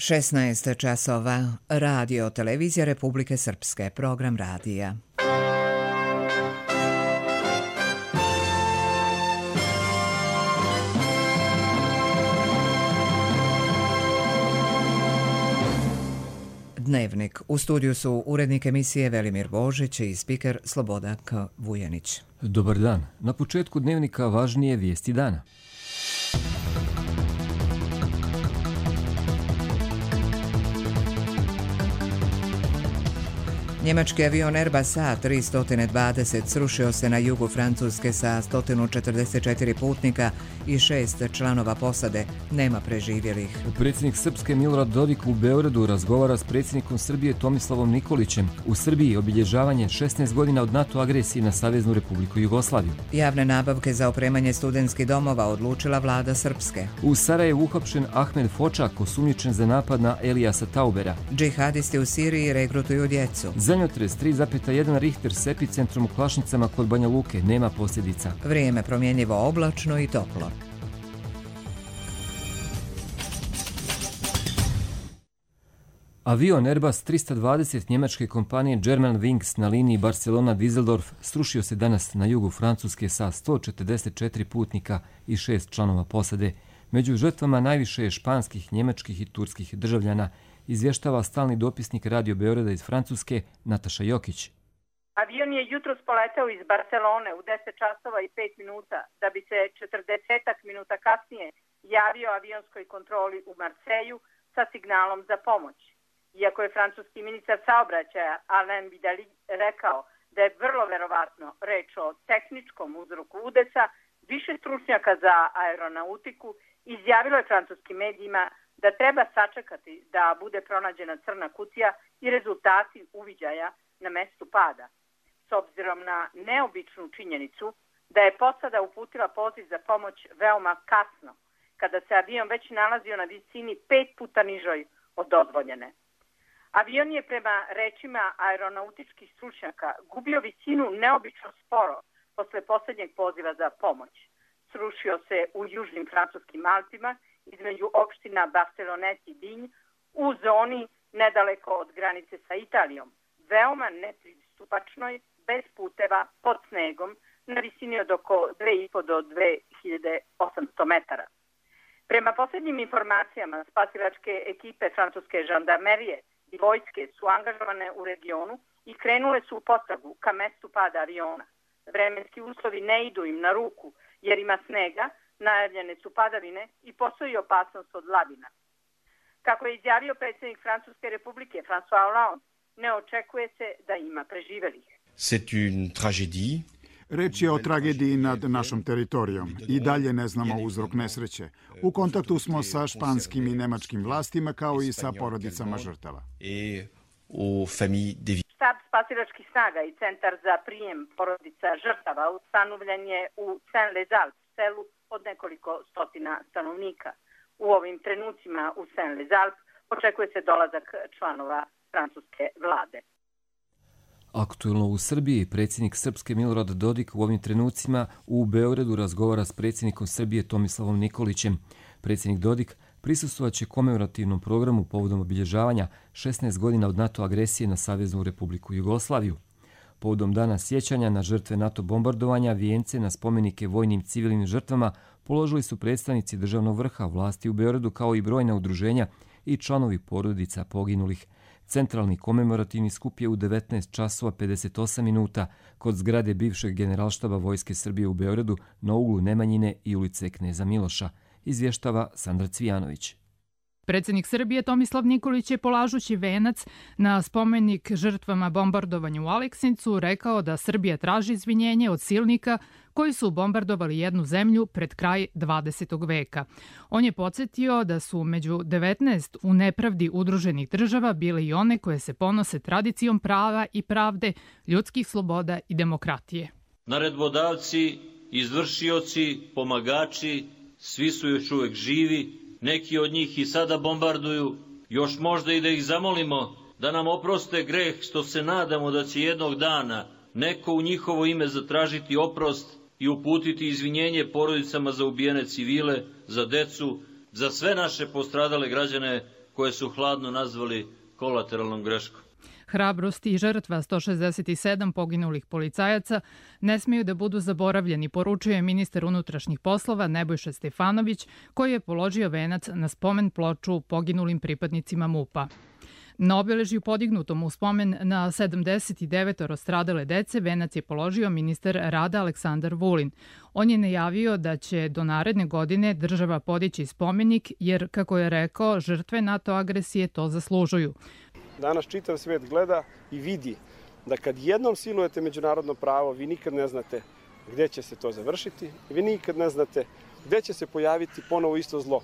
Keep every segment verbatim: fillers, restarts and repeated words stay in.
šesnaest časova. Radio Televizija Republike Srpske. Program radija. Dnevnik. U studiju su urednik emisije Velimir Božić i spiker Slobodak Vujanić. Dobar dan. Na početku dnevnika važnije vijesti dana. Njemački avion Airbus A tristo dvadeset srušio se na jugu Francuske sa sto četrdeset četiri putnika i šest članova posade. Nema preživjelih. Predsjednik Srpske Milorad Dodik u Beogradu razgovara s predsjednikom Srbije Tomislavom Nikolićem. U Srbiji obilježavanje šesnaest godina od NATO agresije na Saveznu Republiku Jugoslaviju. Javne nabavke za opremanje studentskih domova odlučila vlada Srpske. U Sarajevu uhapšen Ahmed Fočak, osumnjičen za napad na Elijasa Taubera. Džihadisti u Siriji regrutuju djecu. Zemljotres tri zarez jedan Richter s epicentrom u Klašnicama kod Banja Luke, nema posljedica. Vrijeme promjenjivo, oblačno i toplo. Avion Airbus tristo dvadeset njemačke kompanije Germanwings na liniji Barcelona-Düsseldorf srušio se danas na jugu Francuske sa sto četrdeset četiri putnika i šest članova posade. Među žrtvama najviše je španskih, njemačkih i turskih državljana, izvještava stalni dopisnik Radio Beograda iz Francuske Nataša Jokić. Avion je jutros poletao iz Barcelone u deset časova i pet minuta, da bi se četrdeset minuta kasnije javio avionskoj kontroli u Marseju sa signalom za pomoć. Iako je francuski ministar saobraćaja Alain Vidali rekao da je vrlo verovatno reč o tehničkom uzroku udesa, više stručnjaka za aeronautiku izjavilo je francuskim medijima da treba sačekati da bude pronađena crna kutija i rezultati uviđaja na mestu pada. S obzirom na neobičnu činjenicu da je posada uputila poziv za pomoć veoma kasno, kada se avion već nalazio na visini pet puta nižoj od dozvoljene. Avion je prema rečima aeronautičkih stručnjaka gubio visinu neobično sporo posle posljednjeg poziva za pomoć. Srušio se u južnim francuskim Alpima između opština Barcelonet i Digne u zoni nedaleko od granice sa Italijom, veoma nepristupačnoj, bez puteva, pod snegom, na visini od oko dve i po do dve hiljade osamsto metara. Prema posljednjim informacijama, spasilačke ekipe francuske žandarmerije i vojske su angažovane u regionu i krenule su u potragu ka mestu pada aviona. Vremenski uslovi ne idu im na ruku jer ima snega, najavljene su padavine i postoji opasnost od lavina. Kako je izjavio predsjednik Francuske republike François Hollande, ne očekuje se da ima preživelih. C'est une tragédie. Reč je o tragediji nad našom teritorijom. I dalje ne znamo uzrok nesreće. U kontaktu smo sa španskim i nemačkim vlastima kao i sa porodicama žrtava. Štab spasilačkih snaga i centar za prijem porodica žrtava ustanovljen je u Saint-Lazare, selu od nekoliko stotina stanovnika. U ovim trenucima u Saint-Lazare očekuje se dolazak članova francuske vlade. Aktuelno u Srbiji, predsjednik Srpske Milorad Dodik u ovim trenucima u Beogradu razgovara s predsjednikom Srbije Tomislavom Nikolićem. Predsjednik Dodik prisustvovaće komemorativnom programu povodom obilježavanja šesnaest godina od NATO agresije na Saveznu Republiku Jugoslaviju. Povodom dana sjećanja na žrtve NATO bombardovanja, vijence na spomenike vojnim civilnim žrtvama položili su predstavnici državnog vrha, vlasti u Beogradu kao i brojna udruženja i članovi porodica poginulih. Centralni komemorativni skup je u devetnaest časova pedeset osam minuta kod zgrade bivšeg generalštaba Vojske Srbije u Beogradu na uglu Nemanjine i ulice Kneza Miloša, izvještava Sandra Cvijanović. Predsjednik Srbije Tomislav Nikolić je polažući venac na spomenik žrtvama bombardovanja u Aleksincu rekao da Srbija traži izvinjenje od silnika koji su bombardovali jednu zemlju pred kraj dvadesetog veka. On je podsjetio da su među devetnaest u nepravdi udruženih država bile i one koje se ponose tradicijom prava i pravde, ljudskih sloboda i demokratije. Naredbodavci, izvršioci, pomagači, svi su još uvijek živi. Neki od njih i sada bombarduju, još možda i da ih zamolimo da nam oproste greh što se nadamo da će jednog dana neko u njihovo ime zatražiti oprost i uputiti izvinjenje porodicama za ubijene civile, za decu, za sve naše postradale građane koje su hladno nazvali kolateralnom greškom. Hrabrost i žrtva sto šezdeset sedam poginulih policajaca ne smiju da budu zaboravljeni, poručuje ministar unutrašnjih poslova Nebojša Stefanović, koji je položio venac na spomen ploču poginulim pripadnicima MUP-a. Na obeležju podignutom u spomen na sedamdeset devet stradale dece venac je položio ministar rada Aleksandar Vulin. On je najavio da će do naredne godine država podići spomenik jer, kako je rekao, žrtve NATO agresije to zaslužuju. Danas čitav svet gleda i vidi da kad jednom silujete međunarodno pravo, vi nikad ne znate gde će se to završiti, vi nikad ne znate gde će se pojaviti ponovo isto zlo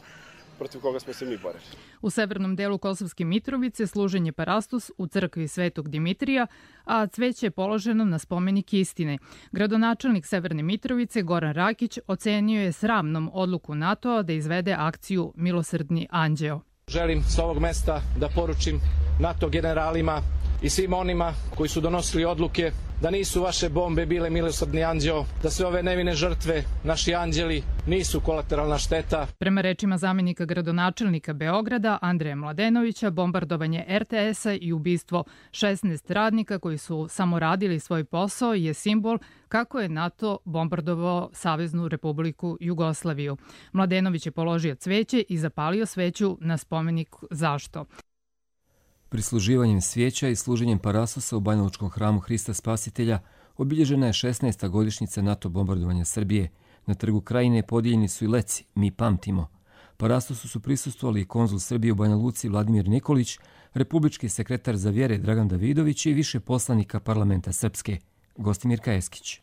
protiv koga smo se mi borili. U severnom delu Kosovske Mitrovice služen je parastos u crkvi Svetog Dimitrija, a cveće je položeno na spomenik istine. Gradonačelnik Severne Mitrovice Goran Rakić ocenio je sramnom odluku NATO-a da izvede akciju Milosrdni anđeo. Želim s ovog mesta da poručim NATO generalima i svim onima koji su donosili odluke da nisu vaše bombe bile milosrdni anđeo, da sve ove nevine žrtve, naši anđeli, nisu kolateralna šteta. Prema rečima zamenika gradonačelnika Beograda Andreja Mladenovića, bombardovanje er te esa i ubistvo šesnaest radnika koji su samo radili svoj posao je simbol kako je NATO bombardovao Saveznu Republiku Jugoslaviju. Mladenović je položio cveće i zapalio sveću na spomenik Zašto. Prisluživanjem svijeća i služenjem parasosa u Banjalučkom hramu Hrista Spasitelja obilježena je šesnaesta godišnjica NATO bombardovanja Srbije. Na trgu Krajine podijeljeni su i leci Mi pamtimo. Parasosu su prisustvovali i konzul Srbije u Banja Luci Vladimir Nikolić, republički sekretar za vjere Dragan Davidović i više poslanika parlamenta Srpske. Gostimir Kajeskić.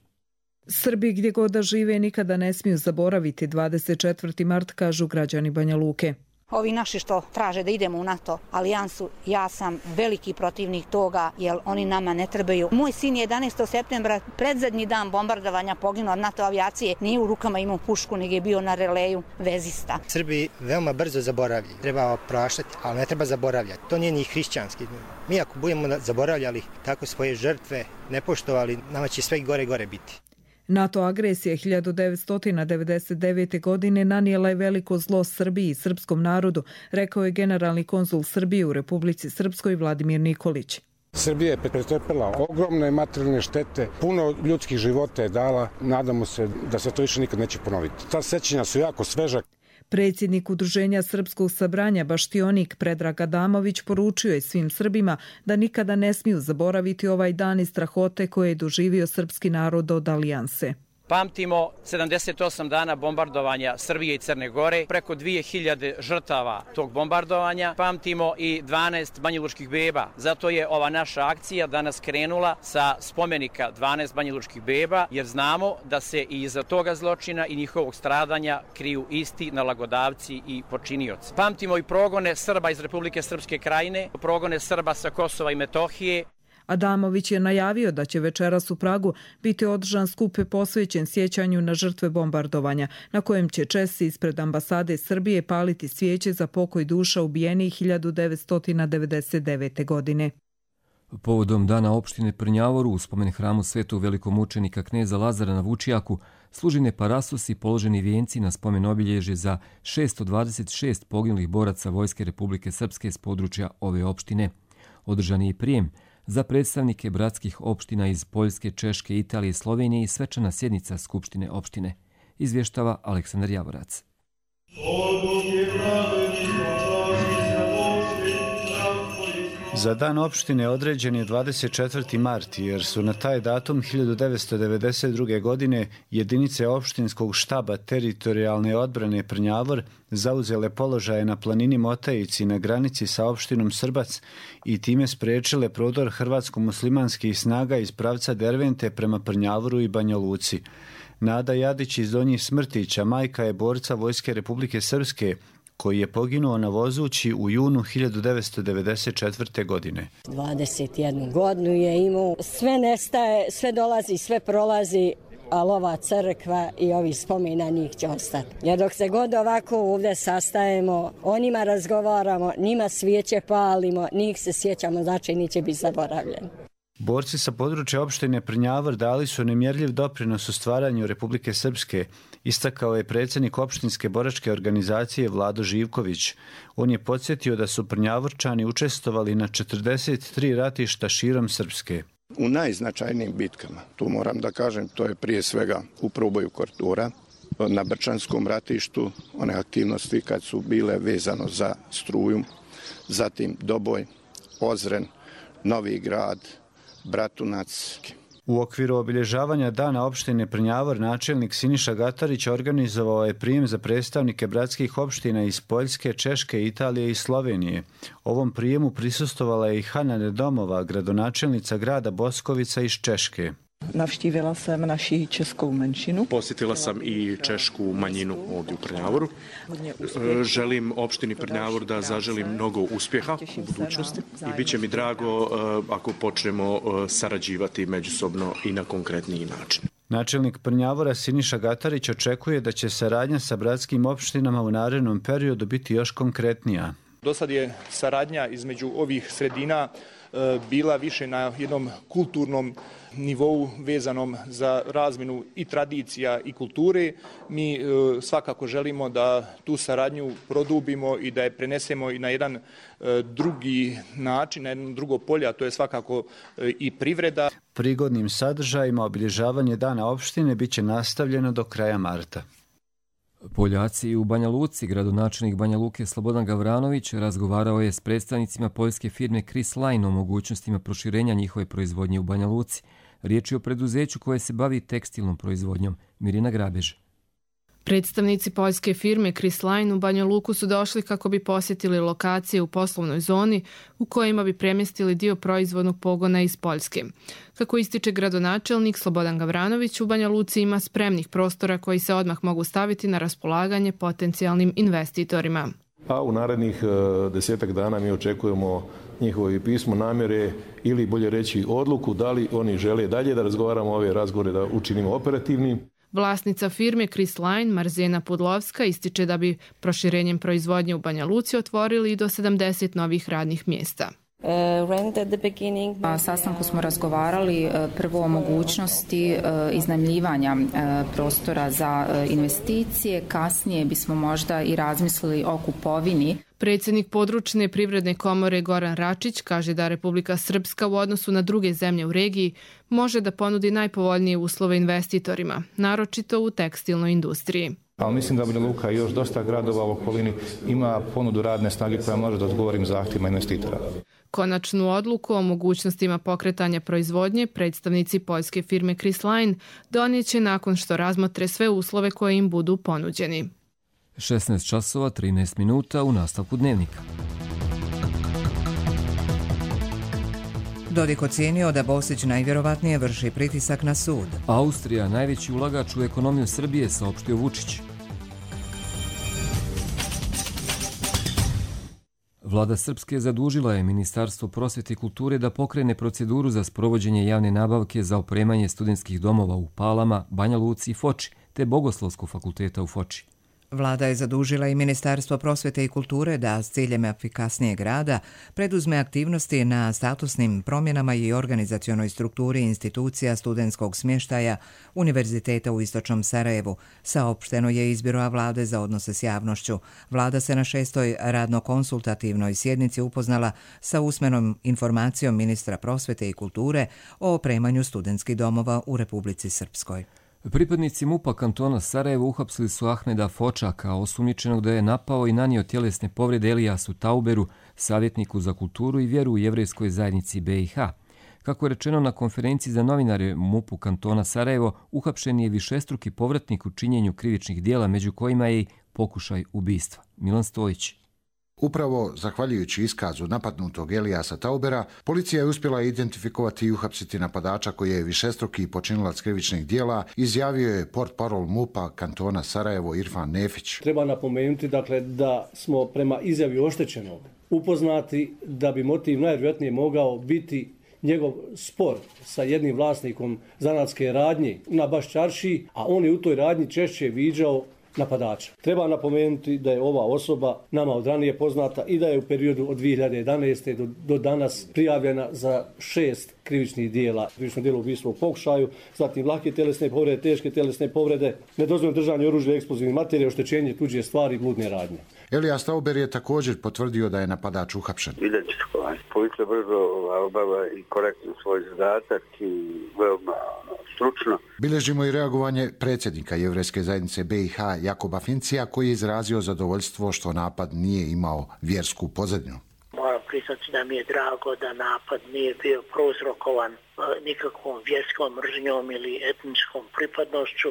Srbi gdje god da žive nikada ne smiju zaboraviti dvadeset četvrti mart, kažu građani Banja Luke. Ovi naši što traže da idemo u NATO alijansu, ja sam veliki protivnik toga, jer oni nama ne trebaju. Moj sin je jedanaestog septembra, predzadnji dan bombardovanja, poginuo od NATO avijacije, nije u rukama imao pušku, nego je bio na releju vezista. Srbi veoma brzo zaboravljaju, treba opraštati, ali ne treba zaboravljati. To nije ni hrišćanski. Mi ako budemo zaboravljali tako svoje žrtve, ne poštovali, nama će sve gore gore biti. NATO agresija hiljadu devetsto devedeset devete. godine nanijela je veliko zlo Srbiji i srpskom narodu, rekao je generalni konzul Srbije u Republici Srpskoj Vladimir Nikolić. Srbija je pretrpela ogromne materijalne štete, puno ljudskih života je dala, nadamo se da se to više nikad neće ponoviti. Ta sećanja su jako sveža. Predsjednik Udruženja Srpskog sabranja Baštionik Predrag Adamović poručio je svim Srbima da nikada ne smiju zaboraviti ovaj dan i strahote koje je doživio srpski narod od alijanse. Pamtimo sedamdeset osam dana bombardovanja Srbije i Crne Gore, preko dvije hiljade žrtava tog bombardovanja. Pamtimo i dvanaest banjalučkih beba. Zato je ova naša akcija danas krenula sa spomenika dvanaest banjalučkih beba, jer znamo da se i iza toga zločina i njihovog stradanja kriju isti nalagodavci i počinioci. Pamtimo i progone Srba iz Republike Srpske Krajine, progone Srba sa Kosova i Metohije. Adamović je najavio da će večeras u Pragu biti održan skup posvećen sjećanju na žrtve bombardovanja, na kojem će Česi ispred ambasade Srbije paliti svijeće za pokoj duša ubijenih hiljadu devetsto devedeset devete. godine. Povodom dana opštine Prnjavoru u spomen hramu svetog velikomučenika kneza Lazara na Vučijaku služen je parasos i položeni vijenci na spomen obilježje za šessto dvadeset šest poginulih boraca Vojske Republike Srpske s područja ove opštine. Održan je i prijem za predstavnike bratskih opština iz Poljske, Češke, Italije, Slovenije i svečana sjednica Skupštine opštine. Izvještava Aleksandar Javorac. Za dan opštine određen je dvadeset četvrti mart, jer su na taj datum hiljadu devetsto devedeset druge. godine jedinice opštinskog štaba teritorijalne odbrane Prnjavor zauzele položaje na planini Motajici na granici sa opštinom Srbac i time spriječile prodor hrvatsko-muslimanskih snaga iz pravca Dervente prema Prnjavoru i Banja Luci. Nada Jadić iz Donjih Smrtića, majka je borca Vojske Republike Srpske, koji je poginuo na Vozući u junu hiljadu devetsto devedeset četvrte. godine. dvadeset jednu godinu je imao, sve nestaje, sve dolazi, sve prolazi, ali ova crkva i ovi spomena njih će ostati. Jer dok se god ovako ovdje sastajemo, o njima razgovaramo, njima svijeće palimo, njih se sjećamo, znači neće biti zaboravljeni. Borci sa područja opštine Prnjavor dali su nemjerljiv doprinos u stvaranju Republike Srpske, istakao je predsjednik opštinske boračke organizacije Vlado Živković. On je podsjetio da su Prnjavorčani učestvovali na četrdeset tri ratišta širom Srpske. U najznačajnijim bitkama, tu moram da kažem, to je prije svega u proboju Kortura, na Brčanskom ratištu, one aktivnosti kad su bile vezano za struju, zatim Doboj, Ozren, Novi Grad, Bratunac. U okviru obilježavanja dana opštine Prnjavor načelnik Siniša Gatarić organizovao je prijem za predstavnike bratskih opština iz Poljske, Češke, Italije i Slovenije. Ovom prijemu prisustvovala je i Hana Nedomova, gradonačelnica grada Boskovica iz Češke. Navštívila sam naši českou menšinu. Posjetila sam i češku manjinu ovdje u Prnjavoru. Želim opštini Prnjavor da zaželim mnogo uspjeha u budućnosti i bit će mi drago ako počnemo sarađivati međusobno i na konkretniji način. Načelnik Prnjavora Siniša Gatarić očekuje da će saradnja sa bratskim opštinama u narednom periodu biti još konkretnija. Do sad je saradnja između ovih sredina bila više na jednom kulturnom nivou vezanom za razmjenu i tradicija i kulture. Mi e, svakako želimo da tu saradnju produbimo i da je prenesemo i na jedan e, drugi način, na jedno drugo polje, a to je svakako e, i privreda. Prigodnim sadržajima obilježavanje dana opštine bit će nastavljeno do kraja marta. Poljaci u Banja Luci, gradonačelnik Banja Luke Slobodan Gavranović razgovarao je s predstavnicima poljske firme Chris Line o mogućnostima proširenja njihove proizvodnje u Banja Luci. Riječ je o preduzeću koje se bavi tekstilnom proizvodnjom. Mirina Grabež. Predstavnici poljske firme Chris Line u Banja Luku su došli kako bi posjetili lokacije u poslovnoj zoni u kojima bi premjestili dio proizvodnog pogona iz Poljske. Kako ističe gradonačelnik Slobodan Gavranović, u Banja Luci ima spremnih prostora koji se odmah mogu staviti na raspolaganje potencijalnim investitorima. A u narednih desetak dana mi očekujemo njihovo pismo namjere ili bolje reći odluku da li oni žele dalje da razgovaramo ove razgovore da učinimo operativnim. Vlasnica firme Chris Line, Marzena Pudlovska, ističe da bi proširenjem proizvodnje u Banja Luci otvorili i do sedamdeset novih radnih mjesta. Na sastanku smo razgovarali prvo o mogućnosti iznajmljivanja prostora za investicije, kasnije bismo možda i razmislili o kupovini. Predsjednik područne privredne komore Goran Račić kaže da Republika Srpska u odnosu na druge zemlje u regiji može da ponudi najpovoljnije uslove investitorima, naročito u tekstilnoj industriji. Ali mislim da Banja Luka i još dosta gradova u okolini ima ponudu radne snage koja može da odgovori zahtjevima investitora. Konačnu odluku o mogućnostima pokretanja proizvodnje predstavnici poljske firme Chris Line donijet će nakon što razmotre sve uslove koje im budu ponuđeni. šesnaest časova trinaest minuta u nastavku dnevnika. Dodik ocijenio da Bosić najvjerovatnije vrši pritisak na sud. Austrija, najveći ulagač u ekonomiju Srbije, saopštio Vučić. Vlada Srpske zadužila je Ministarstvo prosvjete i kulture da pokrene proceduru za sprovođenje javne nabavke za opremanje studentskih domova u Palama, Banja Luci i Foči, te Bogoslovskog fakulteta u Foči. Vlada je zadužila i Ministarstvo prosvjete i kulture da s ciljem efikasnijeg rada preduzme aktivnosti na statusnim promjenama i organizacionoj strukturi institucija studentskog smještaja Univerziteta u Istočnom Sarajevu, saopšteno je iz Biroa Vlade za odnose s javnošću. Vlada se na šestoj radno-konsultativnoj sjednici upoznala sa usmenom informacijom ministra prosvjete i kulture o opremanju studentskih domova u Republici Srpskoj. Pripadnici MUP-a kantona Sarajevo uhapsili su Ahmeda Fočaka, osumnjičenog da je napao i nanio tjelesne povrede Elijasu Tauberu, savjetniku za kulturu i vjeru u jevrejskoj zajednici B i H. Kako je rečeno na konferenciji za novinare MUP-u kantona Sarajevo, uhapšen je višestruki povratnik u činjenju krivičnih dijela, među kojima je i pokušaj ubistva. Milan Stojić. Upravo zahvaljujući iskazu napadnutog Elijasa Taubera, policija je uspjela identifikovati i uhapsiti napadača koji je višestruki počinilac krivičnih dijela, izjavio je portparol MUP-a kantona Sarajevo Irfan Nefić. Treba napomenuti dakle, da smo prema izjavi oštećenog upoznati da bi motiv najvjerojatnije mogao biti njegov spor sa jednim vlasnikom zanatske radnje na Baščaršiji, a on je u toj radnji češće viđao napadača. Treba napomenuti da je ova osoba nama od ranije poznata i da je u periodu od dvije hiljade jedanaeste. do, do danas prijavljena za šest krivičnih dijela. Krivično djelo ubistva u pokušaju, zatim lake telesne povrede, teške telesne povrede, nedozvoljeno držanje oružja i eksplozivnih materija, oštećenje tuđe stvari i bludne radnje. Elijas Tauber je također potvrdio da je napadač uhapšen. Policija brzo obava i korektno svoj zadatak i veoma stručno. Bilježimo i reagovanje predsjednika Jevrejske zajednice B i H Jakoba Fincija, koji je izrazio zadovoljstvo što napad nije imao vjersku pozadnju. Moram priznati da mi je drago da napad nije bio prouzrokovan nikakvom vjerskom mržnjom ili etničkom pripadnošću,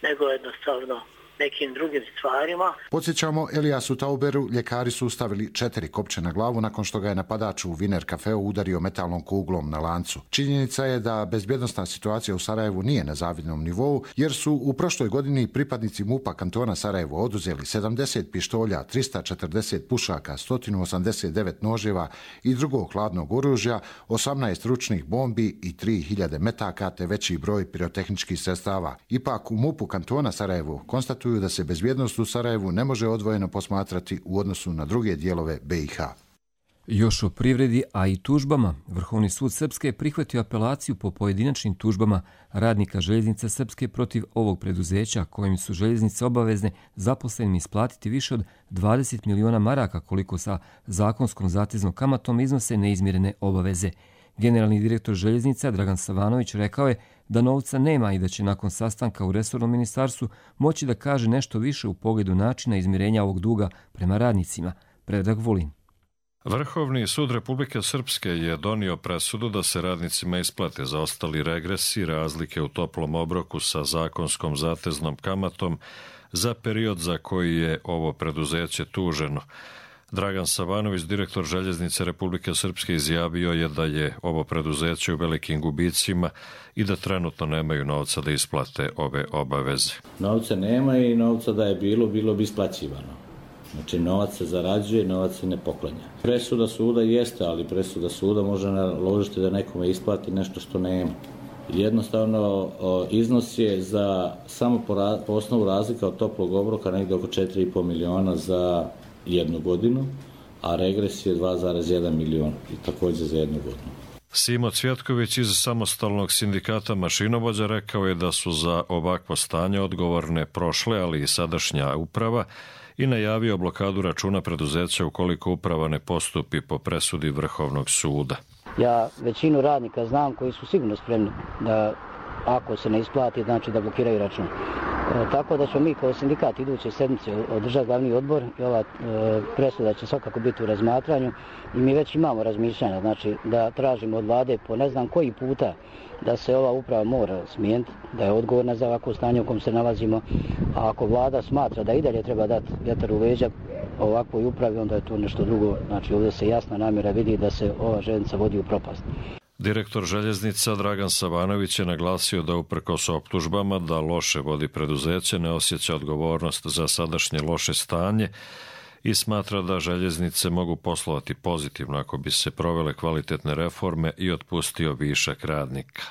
nego jednostavno nekim drugim stvarima. Podsjećamo, Elijasu Tauberu ljekari su stavili četiri kopče na glavu nakon što ga je napadač u Viner kafeu udario metalnom kuglom na lancu. Činjenica je da bezbjednosna situacija u Sarajevu nije na zavidnom nivou, jer su u prošloj godini pripadnici MUP-a kantona Sarajevo oduzeli sedamdeset pištolja, trista četrdeset pušaka, sto osamdeset devet noževa i drugog hladnog oružja, osamnaest ručnih bombi i tri hiljade metaka te veći broj pirotehničkih sredstava. Ipak u MUP-u kantona Sarajevo konstatuju da se bezbjednost u Sarajevu ne može odvojeno posmatrati u odnosu na druge dijelove B i H. Još o privredi, a i tužbama. Vrhovni sud Srpske je prihvatio apelaciju po pojedinačnim tužbama radnika Željeznica Srpske protiv ovog preduzeća, kojim su željeznice obavezne zaposlenim isplatiti više od dvadeset miliona maraka, koliko sa zakonskom zateznom kamatom iznose neizmirene obaveze. Generalni direktor željeznica Dragan Savanović rekao je da novca nema i da će nakon sastanka u resornom ministarstvu moći da kaže nešto više u pogledu načina izmirenja ovog duga prema radnicima. Predrag Vulin. Vrhovni sud Republike Srpske je donio presudu da se radnicima isplate zaostali regresi, razlike u toplom obroku sa zakonskom zateznom kamatom za period za koji je ovo preduzeće tuženo. Dragan Savanović, direktor Željeznice Republike Srpske, izjavio je da je ovo preduzeće u velikim gubicima i da trenutno nemaju novca da isplate ove obaveze. Novca nema i novca da je bilo, bilo bi isplaćivano. Znači, novac se zarađuje, novac se ne poklanja. Presuda suda jeste, ali presuda suda može naložiti da nekome isplati nešto što nema. Jednostavno, iznos je za samo po, ra, po osnovu razlika od toplog obroka negdje oko četiri i po miliona za jednu godinu, a regres je dva zarez jedan milion i također za jednu godinu. Simo Cvjetković iz samostalnog sindikata mašinovođa rekao je da su za ovakvo stanje odgovorne prošle, ali i sadašnja uprava, i najavio blokadu računa preduzeća ukoliko uprava ne postupi po presudi Vrhovnog suda. Ja većinu radnika znam koji su sigurno spremni da ako se ne isplati, znači da blokiraju račun. E, tako da ćemo mi kao sindikat iduće sedmice održati glavni odbor i ova e, presuda će svakako biti u razmatranju i mi već imamo razmišljanja, znači da tražimo od vlade po ne znam koji puta da se ova uprava mora smijeniti, da je odgovorna za ovako stanje u kom se nalazimo, a ako vlada smatra da i dalje treba dati vjetar u leđa ovakvoj upravi, onda je to nešto drugo, znači ovdje se jasna namjera vidi da se ova željeznica vodi u propast. Direktor željeznica Dragan Savanović je naglasio da uprkos optužbama da loše vodi preduzeće ne osjeća odgovornost za sadašnje loše stanje i smatra da željeznice mogu poslovati pozitivno ako bi se provele kvalitetne reforme i otpustio višak radnika.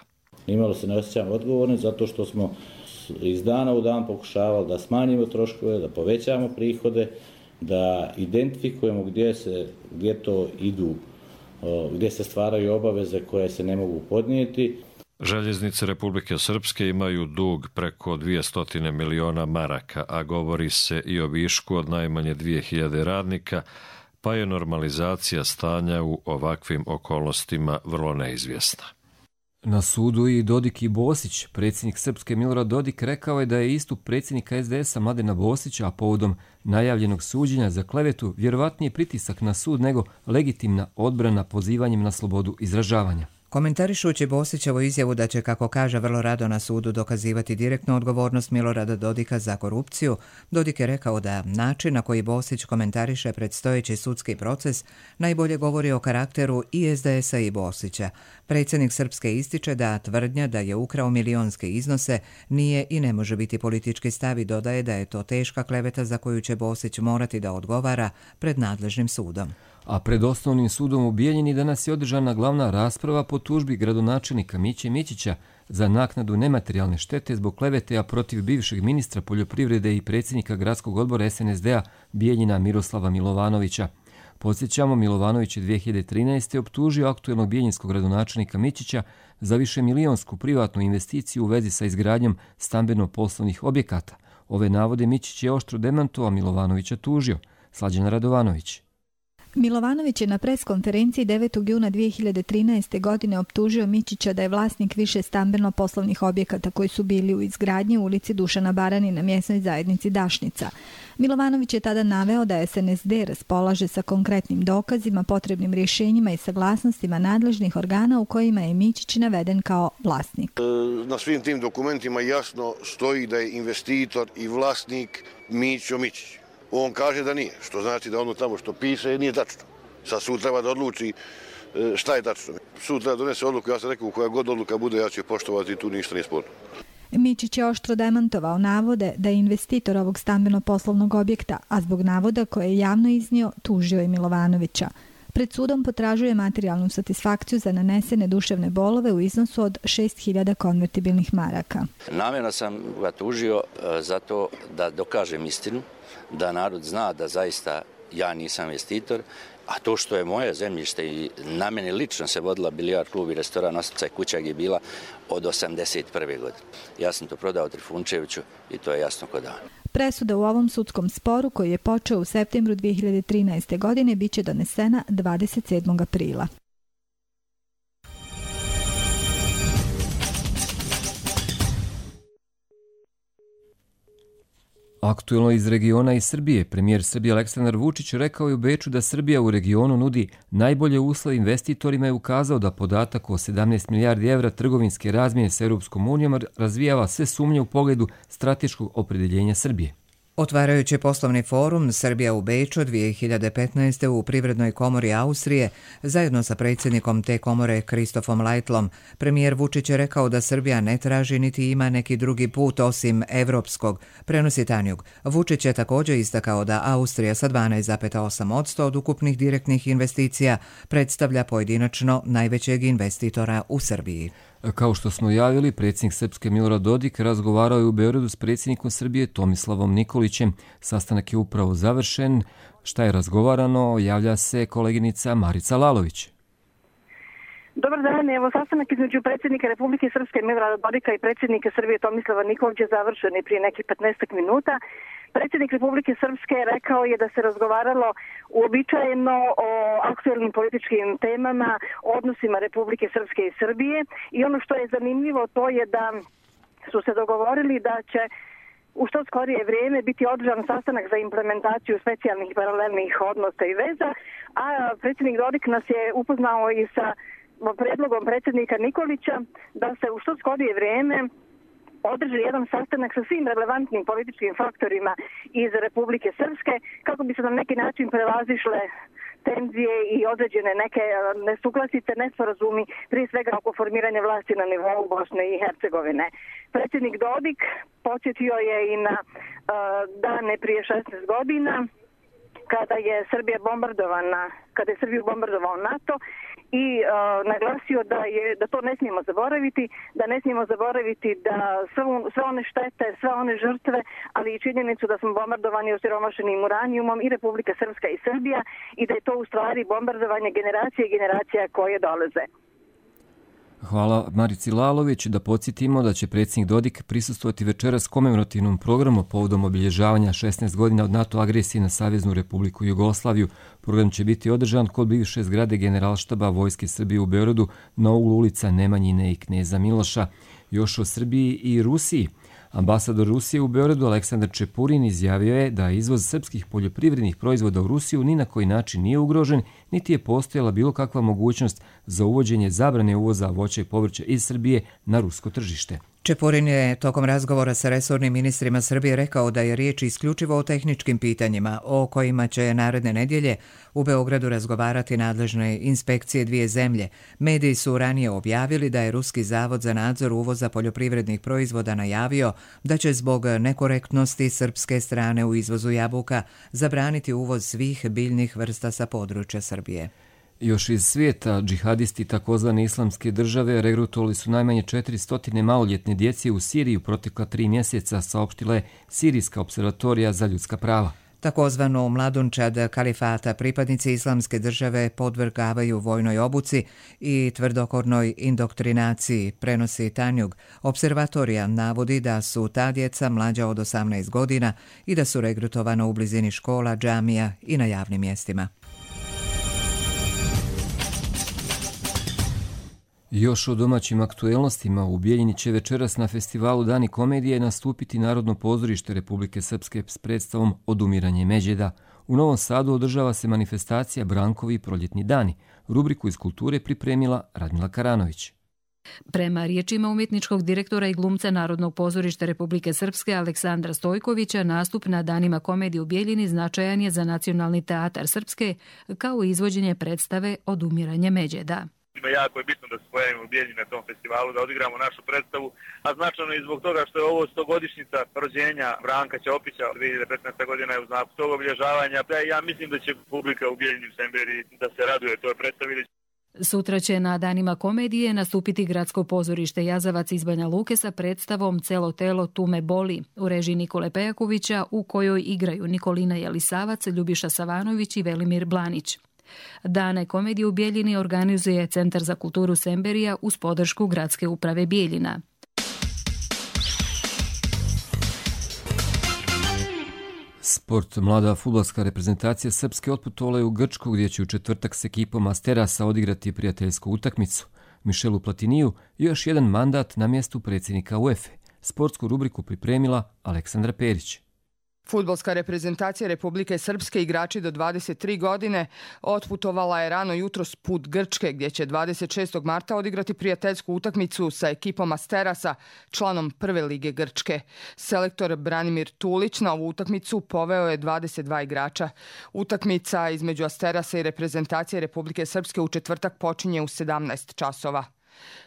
Nimalo se ne osjećamo odgovorni zato što smo iz dana u dan pokušavali da smanjimo troškove, da povećamo prihode, da identifikujemo gdje se, gdje to idu, gdje se stvaraju obaveze koje se ne mogu podnijeti. Željeznice Republike Srpske imaju dug preko dvjesto miliona maraka, a govori se i o višku od najmanje dvije hiljade radnika, pa je normalizacija stanja u ovakvim okolnostima vrlo neizvjesna. Na sudu i Dodik i Bosić. Predsjednik Srpske Milorad Dodik rekao je da je istup predsjednika es de esa Mladena Bosića, a povodom najavljenog suđenja za klevetu, vjerovatnije pritisak na sud nego legitimna odbrana pozivanjem na slobodu izražavanja. Komentarišući Bosićevu izjavu da će, kako kaže, vrlo rado na sudu dokazivati direktnu odgovornost Milorada Dodika za korupciju, Dodik je rekao da način na koji Bosić komentariše predstojeći sudski proces najbolje govori o karakteru i es de esa i Bosića. Predsjednik Srpske ističe da tvrdnja da je ukrao milionske iznose nije i ne može biti politički stav i dodaje da je to teška kleveta za koju će Bosić morati da odgovara pred nadležnim sudom. A pred osnovnim sudom u Bijeljini danas je održana glavna rasprava po tužbi gradonačelnika Miće Mićića za naknadu nematerijalne štete zbog klevete protiv bivšeg ministra poljoprivrede i predsjednika gradskog odbora es en es de a Bijeljina Miroslava Milovanovića. Podsjećamo, Milovanović je dvije hiljade trinaeste. optužio aktuelnog bijeljinskog gradonačelnika Mićića za više milionsku privatnu investiciju u vezi sa izgradnjom stambeno-poslovnih objekata. Ove navode Mićić je oštro demantovao, Milovanovića tužio. Slađana Radovanović. Milovanović je na preskonferenciji devetog juna dvije hiljade trinaeste. godine optužio Mićića da je vlasnik više stambeno-poslovnih objekata koji su bili u izgradnji u ulici Dušana Barani na mjesnoj zajednici Dašnica. Milovanović je tada naveo da es en es de raspolaže sa konkretnim dokazima, potrebnim rješenjima i saglasnostima nadležnih organa u kojima je Mićić naveden kao vlasnik. Na svim tim dokumentima jasno stoji da je investitor i vlasnik Mićo Mićić. On kaže da nije, što znači da ono tamo što piše nije tačno. Sad sud treba da odluči šta je tačno. Sud treba donese odluku, ja sam rekao, koja god odluka bude, ja ću je poštovati i tu ništa nije sporno. Mićić je oštro demantovao navode da je investitor ovog stambeno-poslovnog objekta, a zbog navoda koje je javno iznio, tužio je Milovanovića. Pred sudom potražuje materijalnu satisfakciju za nanesene duševne bolove u iznosu od šest hiljada konvertibilnih maraka. Namjerno sam ga tužio zato da dokažem istinu, da narod zna da zaista ja nisam investitor, a to što je moje zemljište i na meni lično se vodila bilijard klub i restoran Ostica i kuća gdje je bila od osamdeset prve. godine. Ja sam to prodao Trifunčeviću i to je jasno kod dan. Presuda u ovom sudskom sporu koji je počeo u septembru dvije hiljade trinaeste. godine biće donesena dvadeset sedmog aprila. Aktuelno iz regiona i Srbije, premijer Srbije Aleksandar Vučić rekao je u Beču da Srbija u regionu nudi najbolje uslove investitorima i ukazao da podatak o sedamnaest milijardi evra trgovinske razmjene s Europskom unijom razvijava sve sumnje u pogledu strateškog opredjeljenja Srbije. Otvarajući poslovni forum Srbija u Beču dvije hiljade petnaeste. u Privrednoj komori Austrije, zajedno sa predsjednikom te komore Kristofom Lajtlom, premijer Vučić je rekao da Srbija ne traži niti ima neki drugi put osim evropskog, prenosi Tanjug. Vučić je također istakao da Austrija sa dvanaest zarez osam posto od ukupnih direktnih investicija predstavlja pojedinačno najvećeg investitora u Srbiji. Kao što smo javili, predsjednik Srpske Milorad Dodik razgovarao je u Beogradu s predsjednikom Srbije Tomislavom Nikolićem. Sastanak je upravo završen. Šta je razgovarano, javlja se koleginica Marica Lalović. Dobar dan, evo sastanak između predsjednika Republike Srpske Milorada Dodika i predsjednika Srbije Tomislava Nikolića je završen prije nekih petnaest minuta. Predsjednik Republike Srpske rekao je da se razgovaralo uobičajeno o aktuelnim političkim temama, odnosima Republike Srpske i Srbije i ono što je zanimljivo to je da su se dogovorili da će u što skorije vrijeme biti održan sastanak za implementaciju specijalnih paralelnih odnosa i veza, a predsjednik Dodik nas je upoznao i sa predlogom predsjednika Nikolića da se u što skorije vrijeme održi jedan sastanak sa svim relevantnim političkim faktorima iz Republike Srpske kako bi se na neki način prevazišle tenzije i određene neke nesuglasice, nesporazumi, prije svega oko formiranja vlasti na nivou Bosne i Hercegovine. Predsjednik Dodik podsjetio je i na uh, dane prije šesnaest godina kada je Srbija bombardovana, kada je Srbiju bombardovao NATO i uh, naglasio da je da to ne smijemo zaboraviti, da ne smijemo zaboraviti da sve, sve one štete, sve one žrtve, ali i činjenicu da smo bombardovani osiromašenim uranijumom i Republika Srpska i Srbija i da je to u stvari bombardovanje generacije i generacija koje dolaze. Hvala Marici Lalović. Da podsjetimo da će predsjednik Dodik prisustvovati večeras komemorativnom programu povodom obilježavanja šesnaest godina od NATO agresije na Saveznu Republiku Jugoslaviju. Program će biti održan kod bivše zgrade Generalštaba Vojske Srbije u Beogradu na uglu ulica Nemanjine i Kneza Miloša. Još o Srbiji i Rusiji. Ambasador Rusije u Beogradu Aleksandar Čepurin izjavio je da izvoz srpskih poljoprivrednih proizvoda u Rusiju ni na koji način nije ugrožen, niti je postojala bilo kakva mogućnost za uvođenje zabrane uvoza voća i povrća iz Srbije na rusko tržište. Čepurin je tokom razgovora sa resornim ministrima Srbije rekao da je riječ isključivo o tehničkim pitanjima o kojima će naredne nedjelje u Beogradu razgovarati nadležne inspekcije dvije zemlje. Mediji su ranije objavili da je Ruski zavod za nadzor uvoza poljoprivrednih proizvoda najavio da će zbog nekorektnosti srpske strane u izvozu jabuka zabraniti uvoz svih biljnih vrsta sa područja Srbije. Još iz svijeta, džihadisti takozvane islamske države regrutovali su najmanje četiristo maloljetne djece u Siriji u protekla tri mjeseca, saopštila je Sirijska observatorija za ljudska prava. Takozvanu mladunčad kalifata pripadnici islamske države podvrgavaju vojnoj obuci i tvrdokornoj indoktrinaciji, prenosi Tanjug. Observatorija navodi da su ta djeca mlađa od osamnaest godina i da su regrutovana u blizini škola, džamija i na javnim mjestima. Još o domaćim aktuelnostima, u Bijeljini će večeras na festivalu Dani komedije nastupiti Narodno pozorište Republike Srpske s predstavom Odumiranje Međeda. U Novom Sadu održava se manifestacija Brankovi proljetni dani. Rubriku iz kulture pripremila Radmila Karanović. Prema riječima umjetničkog direktora i glumca Narodnog pozorišta Republike Srpske Aleksandra Stojkovića, nastup na Danima komedije u Bijeljini značajan je za Nacionalni teatar Srpske, kao i izvođenje predstave Odumiranje Međeda. Jako je bitno da se pojavimo u Bijeljini na tom festivalu, da odigramo našu predstavu, a značajno i zbog toga što je ovo stogodišnjica rođenja Branka Ćopića, dvije hiljade petnaeste. godina je u znaku tog obilježavanja. Ja mislim da će publika u Bijeljini u Semberiji da se raduje toj predstavi. Sutra će na Danima komedije nastupiti Gradsko pozorište Jazavac iz Banja Luke sa predstavom Celo telo tu me boli u režiji Nikole Pejakovića, u kojoj igraju Nikolina Jelisavac, Ljubiša Savanović i Velimir Blanić. Dane komedije u Bijeljini organizuje Centar za kulturu Semberija uz podršku Gradske uprave Bijeljina. Sport. Mlada fudbalska reprezentacija Srpske otputovala je u Grčku, gdje će u četvrtak s ekipom Asterasa odigrati prijateljsku utakmicu. Michelu Platiniju još jedan mandat na mjestu predsjednika UEFA. Sportsku rubriku pripremila Aleksandra Perić. Fudbalska reprezentacija Republike Srpske, igrači do dvadeset tri godine, otputovala je rano jutros put Grčke, gdje će dvadeset šestog marta odigrati prijateljsku utakmicu sa ekipom Asterasa, članom prve lige Grčke. Selektor Branimir Tulić na ovu utakmicu poveo je dvadeset dva igrača. Utakmica između Asterasa i reprezentacije Republike Srpske u četvrtak počinje u sedamnaest časova.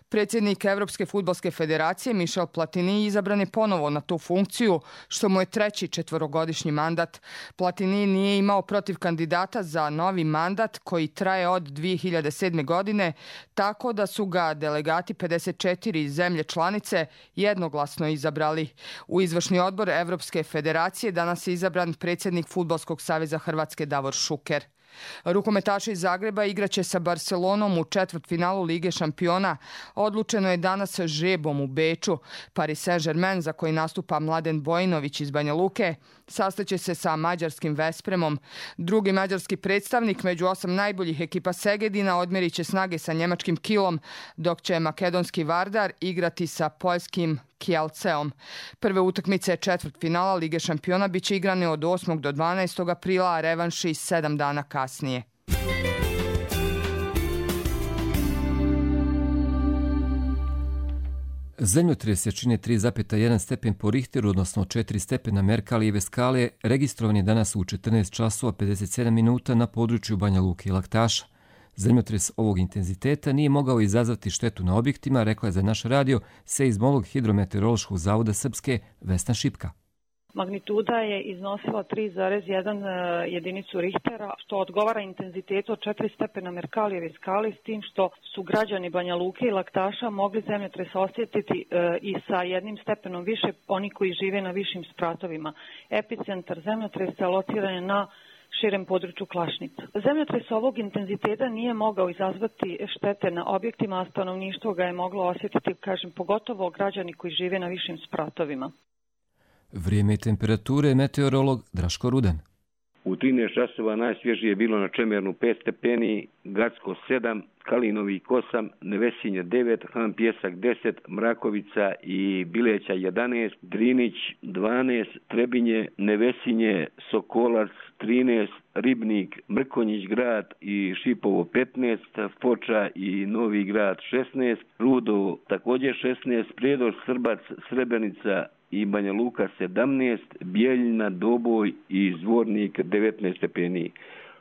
Predsjednik Evropske fudbalske federacije Michel Platini izabran je ponovo na tu funkciju, što mu je treći četvorogodišnji mandat. Platini nije imao protiv kandidata za novi mandat koji traje od dvije hiljade sedme. godine, tako da su ga delegati pedeset četiri zemlje članice jednoglasno izabrali. U izvršni odbor Evropske federacije danas je izabran predsjednik Fudbalskog saveza Hrvatske Davor Šuker. Rukometaši iz Zagreba igraće sa Barcelonom u četvrtfinalu Lige šampiona. Odlučeno je danas žrebom u Beču. Paris Saint-Germain, za koji nastupa Mladen Bojinović iz Banja Luke, sastaće se sa mađarskim Vespremom. Drugi mađarski predstavnik među osam najboljih ekipa Segedina odmjerit će snage sa njemačkim Kilom, dok će makedonski Vardar igrati sa poljskim Kielceom. Prve utakmice četvrtfinala Lige šampiona bit će igrane od osmog do dvanaestog aprila, a revanši sedam dana kasnije. Zemljotres jačine tri zarez jedan stepen po Richteru, odnosno četiri stepena Merkalijeve skale, registrovan je danas u četrnaest časova pedeset sedam minuta na području Banja Luke i Laktaša. Zemljotres ovog intenziteta nije mogao izazvati štetu na objektima, rekla je za naš radio seizmolog Hidrometeorološkog zavoda Srpske Vesna Šipka. Magnituda je iznosila tri zarez jedan jedinicu Richtera, što odgovara intenzitetu od četiri stepena Merkalijeve skale, s tim što su građani Banja Luke i Laktaša mogli zemljotres osjetiti i sa jednim stepenom više, oni koji žive na višim spratovima. Epicentar zemljotresa lociran je na širem području Klašnica. Zemljotres ovog intenziteta nije mogao izazvati štete na objektima, a stanovništvo ga je moglo osjetiti, kažem, pogotovo građani koji žive na višim spratovima. Vrijeme i temperature, meteorolog Draško Rudan. U trinaest časova najsvježije je bilo na Čemernu pet stepeni, Gacko sedam, Kalinovik osam, Nevesinje devet, Han Pjesak deset, Mrakovica i Bileća jedanaest, Drinić dvanaest, Trebinje, Nevesinje, Sokolac trinaest, Ribnik, Mrkonjić grad i Šipovo petnaest, Foča i Novi grad šesnaest, Rudo također šesnaest, Prijedor, Srbac, Srebrenica i Banja Luka sedamnaest, Bijeljina, Doboj i Zvornik devetnaest stepeni.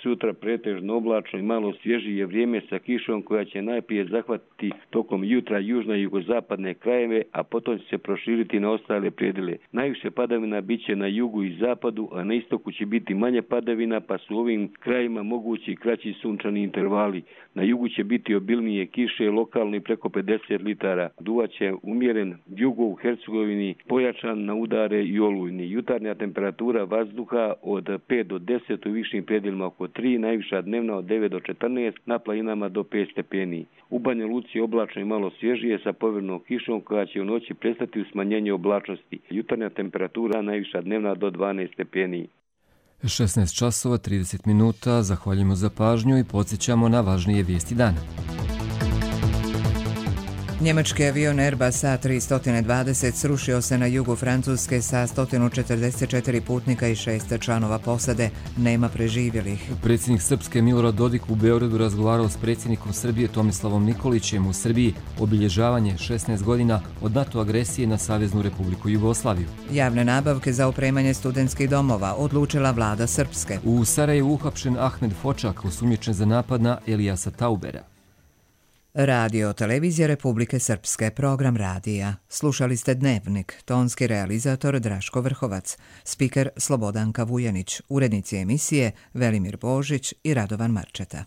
Sutra pretežno oblačno i malo svježije vrijeme sa kišom koja će najprije zahvatiti tokom jutra južne i jugozapadne krajeve, a potom će se proširiti na ostale predjele. Najviše padavina bit će na jugu i zapadu, a na istoku će biti manje padavina, pa su u ovim krajima mogući kraći sunčani intervali. Na jugu će biti obilnije kiše, lokalno i preko pedeset litara. Duvaće umjeren jugo u Hercegovini, pojačan na udare i olujni. Jutarnja temperatura vazduha od pet do deset, u višim predjelima oko tri, najviša dnevna od devet do četrnaest, na planinama do pet stepeni. U Banja Luci oblačno i malo svježije sa povjernom kišom koja će u noći prestati u smanjenje oblačnosti. Jutarnja temperatura najviša dnevna do dvanaest stepeni. šesnaest časova trideset minuta, zahvaljujemo za pažnju i podsjećamo na važnije vijesti dana. Njemački avion Airbus A tristo dvadeset srušio se na jugu Francuske sa sto četrdeset četiri putnika i šest članova posade. Nema preživjelih. Predsjednik Srpske Milorad Dodik u Beogradu razgovarao s predsjednikom Srbije Tomislavom Nikolićem u Srbiji obilježavanje šesnaest godina od NATO agresije na Saveznu Republiku Jugoslaviju. Javne nabavke za opremanje studentskih domova odlučila vlada Srpske. U Sarajevu uhapšen Ahmed Fočak, osumnjičen za napad na Elijasa Taubera. Radio Televizija Republike Srpske, program radija. Slušali ste Dnevnik, tonski realizator Draško Vrhovac, spiker Slobodanka Vujanić, urednici emisije Velimir Božić i Radovan Marčeta.